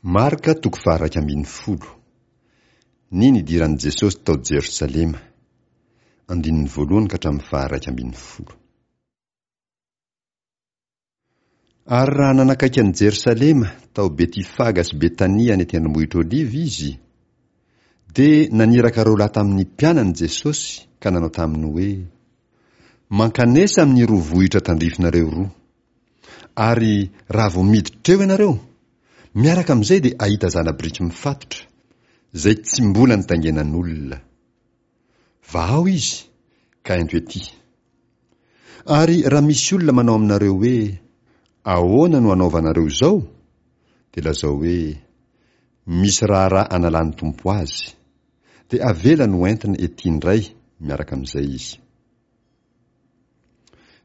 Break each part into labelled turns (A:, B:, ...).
A: Marka toko faha-11. Ny nidiran'i Jesosy tao Jerosalema. Andininy voalohany ka hatramin'ny faha-11. Ary raha nanakaiky an'i Jerosalema tao Betifaga sy Betania any an-tendrombohitra Oliva izy, dia naniraka roalahy tamin'ny mpianany Jesosy ka nanao taminy hoe, Mankanesa amin'ny roa vohitra tandrifinareo roa. Ary raha vao miditra eo ianareo, miaraka amin'izay dia hahita zana-biriky mifatotra, izay tsy mbola nitaingenan'olona. Vahao izy, ka ento ety. Ary raha misy olona manao aminareo hoe, Ahoana no anaovanareo izao? dia lazao hoe, Misy raharaha analan'ny Tompo azy. Dia avelany ho entina ety indray miaraka amin'izay izy.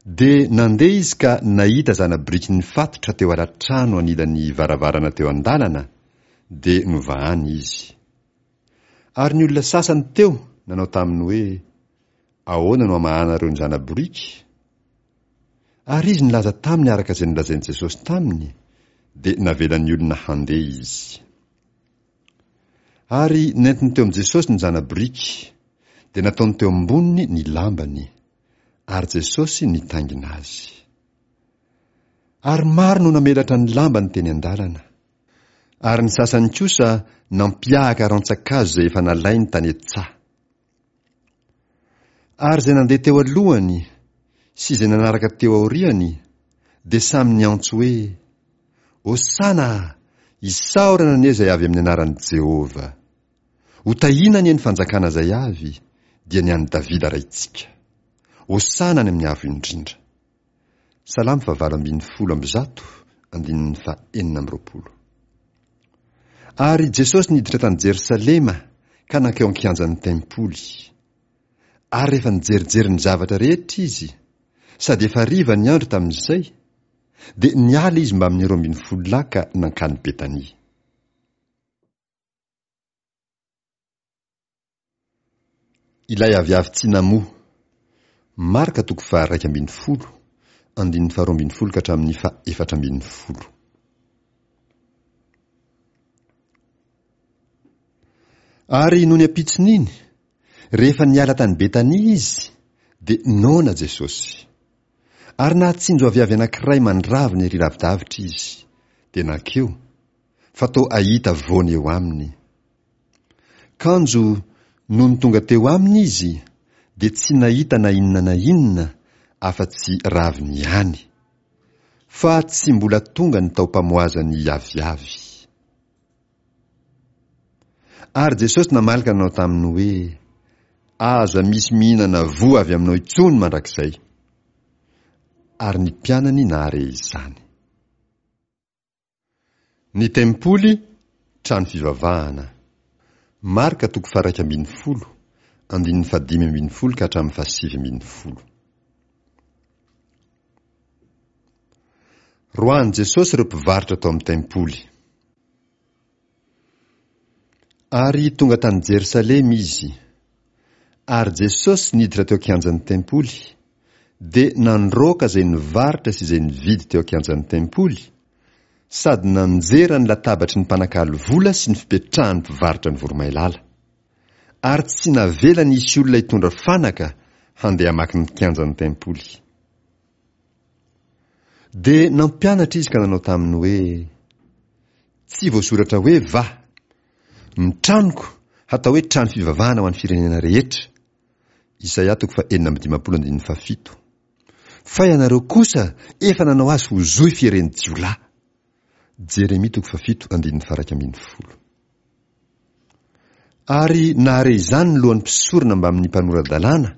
A: Dia nandeha izy ka nahita zana-biriky nifatotra teo ala-trano anilan'ny varavarana teo an-dalana, dia novahany izy. Ary ny olona sasany teo nanao taminy hoe, Ahoana no amahanareo ny zana-boriky? Ary izy nilaza taminy araka izay nolazain'i Jesosy taminy, dia navelan'ny olona handeha izy. Ary nentiny teo amin'i Jesosy ny zana-boriky, dia nataony teo amboniny ny lambany, ary Jesosy nitaingina azy. Ary maro no namelatra ny lambany teny an-dalana. Ary ny sasany kosa nampiahaka rantsan-kazo izay efa nalainy tany an-tsaha. Ary izay nandeha teo alohany sy izay nanaraka teo aoriany dia samy niantso hoe, Hosana! Isaorana anie izay avy amin'ny anaran'i Jehovah! Hotahiana anie ny fanjakana izay avy, dia ny an'i Davida raintsika! Hosana any amin'ny avo indrindra! Salamo fahavalo 118, andininy faha-26. Ary Jesosy niditra tany Jerosalema ka nankeo an-kianjan'ny tempoly. Ary rehefa nijerijery ny zavatra rehetra izy, sady efa hariva ny andro tamin'izay, dia niala izy mbamin'ny 12 lahy ka nankany Betania. Ilay aviavy tsy namoa. Marka toko faha-11, andininy faha-12 ka hatramin'ny faha-14. Ary nony ampitson'iny, rehefa niala tany Betania izy, dia noana Jesosy. Ary nahatsinjo aviavy anankiray mandravina ery lavidavitra izy, dia nankeo, fa toa hahita voany eo aminy. Kanjo nony tonga teo aminy izy dia tsy nahita na inona na inona afa-tsy raviny ihany, fa tsy mbola tonga ny taom-pamoazan'ny aviavy. Ary Jesosy namaly ka nanao taminy hoe, Aza misy mihinana voa avy aminao intsony mandrakizay. Ary ny mpianany nahare izany. Ny tempoly, trano fivavahana. Marka toko faha-11, andininy faha-15 ka hatramin'ny faha-19. Roahin'i Jesosy ireo mpivarotra tao amin'ny tempoly. Ary tonga tany Jerosalema izy. Ary Jesosy niditra teo an-kianjan'ny tempoly, dia nandroaka izay nivarotra sy izay nividy teo an-kianjan'ny tempoly, sady nanjera ny latabatry ny mpanakalo vola sy ny fipetrahan'ny mpivarotra ny voromailala. Ary tsy navelany hisy olona hitondra fanaka handeha hamaky ny kianjan'ny tempoly. Dia nampianatra izy ka nanao taminy hoe, Tsy voasoratra hoe va, Ny tranoko hatao hoe trano fivavahana ho an'ny firenena rehetra. Isaia toko faha-56 andininy fahafito. Fa ianareo kosa efa nanao azy ho zohy fieren'ny jiolahy. Jeremia toko fahafito andininy faha-11. Ary nahare izany ny lohan'ny mpisorona mbamin'ny mpanora-dalàna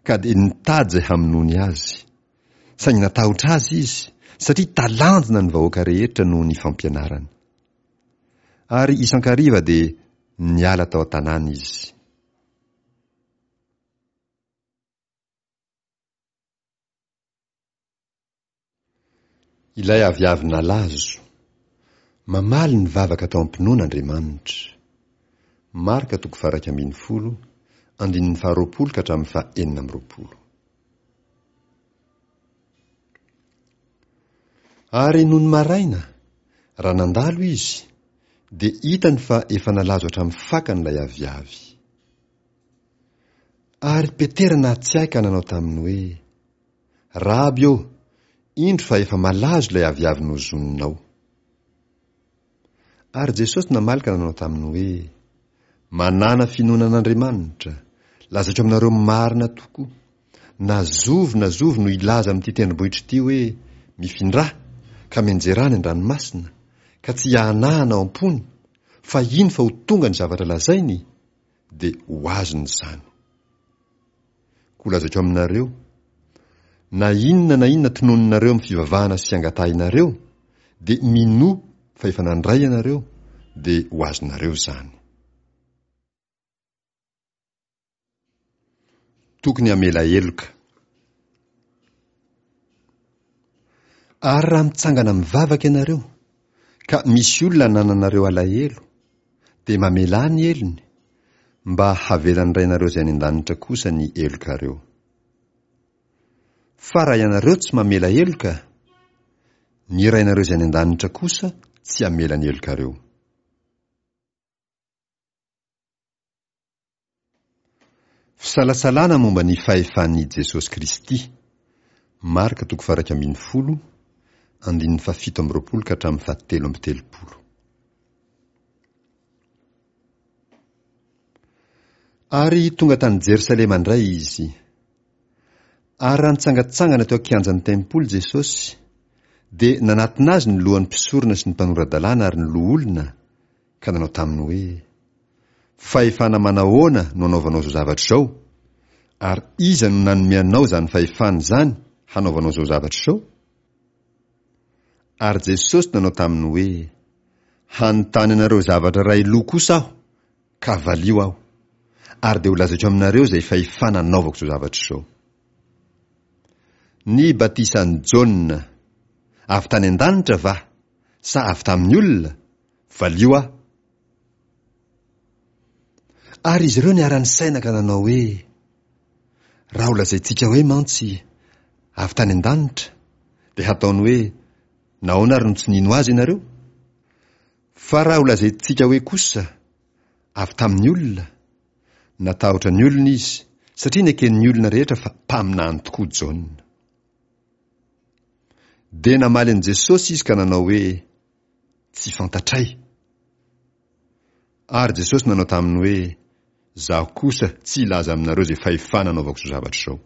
A: ka dia nitady izay hamonoany azy. Saingy natahotra azy izy, satria talanjona ny vahoaka rehetra noho ny fampianarany. Ary isan-kariva dia niala tao an-tanàna izy. Ilay aviavy nalazo. Mamaly ny vavaka atao am-pinoana Andriamanitra. Marka toko faha-11, andininy faha-20 ka hatramin'ny faha-26. Ary nony maraina, raha nandalo izy, dia hitany fa efa nalazo hatramin'ny fakany ilay aviavy. Ary Petera nahatsiahy ka nanao taminy hoe, Raby ô, indro fa efa malazo ilay aviavy nozoninao. Ary Jesosy namaly ka nanao taminy hoe, Manàna finoana an'Andriamanitra, lazaiko aminareo marina tokoa, na zovy na zovy no hilaza amin'ity tendrombohitra ity hoe, Mifindrà, ka mianjerà any an-dranomasina, ka tsy hiahanahana ao am-pony, fa hino fa ho tonga ny zavatra lazainy, dia ho azony izany. Koa lazaiko aminareo, na inona na inona tononinareo amin'ny fivavahana sy angatahinareo, dia minoa fa efa nandray ianareo, dia ho azonareo izany. Tokony hamela heloka. Ary raha mitsangana mivavaka ianareo, ka misy olona anananareo alahelo, dia mamelà ny helony, mba havelan'ny Rainareo izay any an-danitra kosa ny helokareo. Fa raha ianareo tsy mamela heloka, ny Rainareo izay any an-danitra kosa tsy hamela ny helokareo. Fisalasalana momba ny fahefan'i Jesosy Kristy, Marka toko faha-11, andininy faha-27 ka hatramin'ny faha-33. Ary tonga tany Jerosalema indray izy. Ary raha nitsangantsangana teo an-kianjan'ny tempoly Jesosy, dia nanatona azy ny lohan'ny mpisorona sy ny mpanora-dalàna ary ny loholona, ka nanao taminy hoe, Fahefana manahoana no anaovanao izao zavatra izao? Ary iza no nanome anao izany fahefana izany hanaovanao izao zavatra izao? Ary Jesosy nanao taminy hoe, Hanontany anareo zavatra iray loha kosa aho, ka valio aho, ary dia holazaiko aminareo izay fahefana anaovako izao zavatra izao. Ny batisan'i Jaona, avy tany an-danitra va, sa avy tamin'ny olona? Valio aho. Ary izy ireo niara-nisaina ka nanao hoe, Raha holazaintsika hoe mantsy, avy tany an-danitra, dia hataony hoe, Nahoana ary no tsy nino azy ianareo? Fa raha holazaintsika hoe kosa, avy tamin'ny olona, natahotra ny olona izy, satria neken'ny olona rehetra fa mpaminany tokoa Jaona. Dia namaly an'i Jesosy izy ka nanao hoe, Tsy fantatray. Ary Jesosy nanao taminy hoe, Izaho kosa tsy hilaza aminareo izay fahefana anaovako izao zavatra izao.